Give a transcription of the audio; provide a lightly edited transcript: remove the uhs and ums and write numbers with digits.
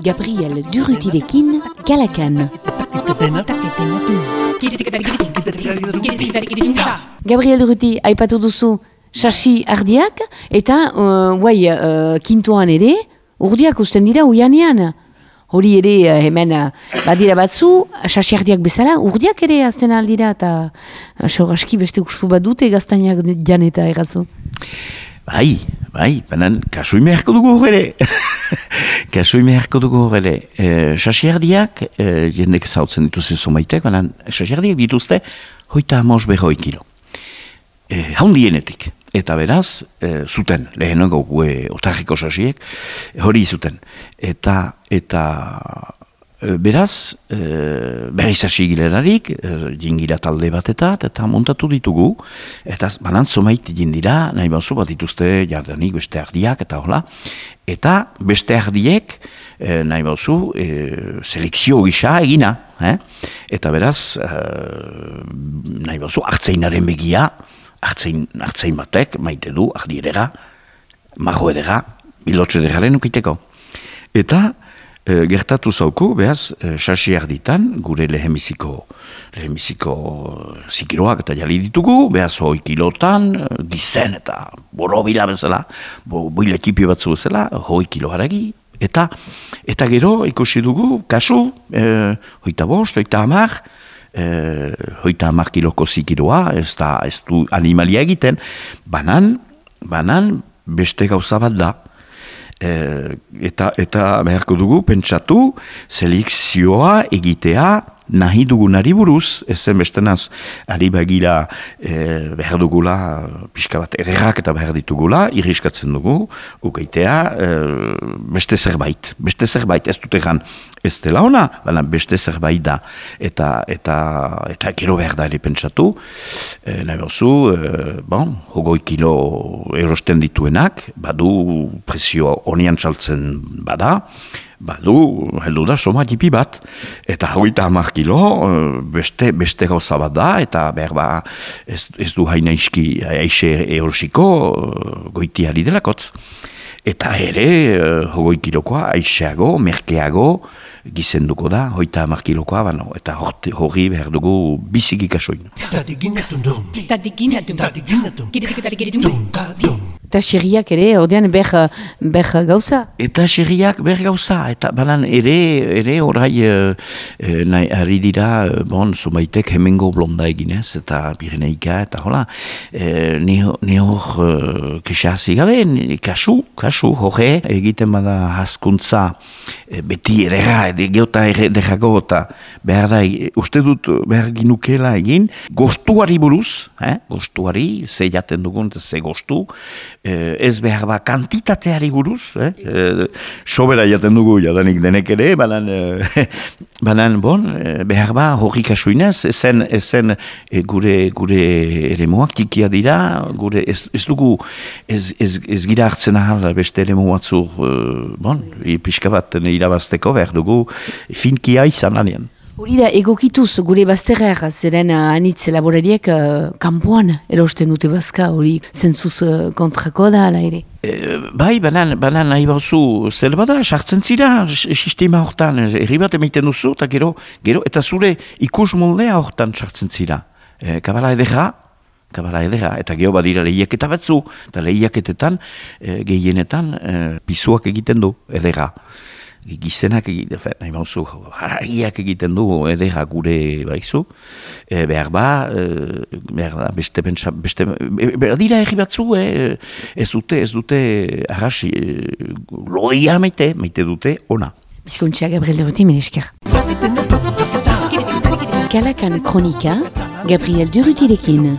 Gabriel Durrutirekin, Kalakan. Gabriel Durruti, aipatu duzu sasi ardiak, eta kintoan ere, urdiak usten dira uianean. Hori ere hemen badira batzu, sasi ardiak bezala, urdiak ere azten aldira, eta aski beste gustu bat dute gaztainak janeta errazu. Bai, banan kasuime harko dugu horre. Kasuime harko dugu horre. Sasiardiak, jendek zautzen dituzte zomaitek, banan sasiardiak dituzte 35 kilo. Haundienetik. Eta beraz, zuten, lehenengo otarriko sasiek, hori zuten. Eta beraz, berriz hasi gilerarik, jingira talde batetat, eta montatu ditugu, eta banan zomait jindira, nahi bauzu bat dituzte jardanik beste ardiak, eta hola, eta beste ardiek, nahi bauzu, selekzio gisa egina, eta beraz, nahi bauzu, hartzeinaren begia, hartzein batek, maite du, ardi edera, majo edera, bilotxe edegaren ukiteko. Eta, gertatu zauku, behaz, sasi arditan, gure lehenbiziko zikiroak eta jali ditugu, behaz, 100 kilotan, gizen eta borobila bezala, boiletipio batzu bezala, 100 kilo haragi, eta gero, ikusi dugu, kasu, 25, 30 kiloko zikiroa, ez du animalia egiten, banan beste gauza bat da. Eta beharko dugu pentsatu selekzioa egitea nahi dugunari buruz, ezen bestenaz ari bagira behar dugula pixka bat errerak eta behar ditugula, irriskatzen dugu ukeitea beste zerbait, ez dut egan ez dela ona, baina beste zerbait da eta gero behar da ere pentsatu nahi bauzu, 20 kilo erosten dituenak, badu prezio honian txaltzen bada, badu, heldu da, soma jipi bat, eta 30 kilo, beste gauza bat da, eta behar ez du haina aixe erosiko goitiari delakotz. Eta ere, 20 kilokoa, aixeago, merkeago, gizenduko da, 30 kilokoa, eta hori behar dugu biziki kasoin. Eta xerriak ere, ordean ber gauza? Eta xerriak ber gauza, eta banan ere orai ari dira, zumaitek hemengo blonda eginez, eta Pireneika, eta hola, ne hor kesazi gabe, kasu, hoge, egiten bada hazkuntza, beti errega, geota errego, eta behar da, uste dut behar ginukela egin, gostuari buruz, gostuari, ze jaten dugun, ze gostu, ez behar ba kantitateari buruz, sobera jaten dugu jadanik denek ere, banan behar ba hori kasuinez, ezen gure ere moak tikia dira, ez dugu, ez gira hartzen ahal beste ere moatzu, pixka bat irabazteko behar dugu finkia izan anean. Hori da, egokituz gure bazterrer, zeren anitz laborariek kanpoan erosten dute bazka, hori zentzuz kontrako da, ala ere? Bai, banan nahi bauzu, zer bada, sartzen zira sistema hortan, herri bat emaiten duzu, eta gero, eta zure ikus moldea hortan sartzen zira. Kabala edera, eta geho badira lehiaketa batzu, eta lehiaketetan, gehienetan, pisuak egiten du, edera. Gizenak egiten, nahi bauzu, haragiak egiten du edera gure baizu, behar beste, behar dira erri batzu, ez dute arras, loia maite dute ona. Bizkontxa, Gabriel Durruti, menesker. Kalakan kronika, Gabriel Durrutirekin.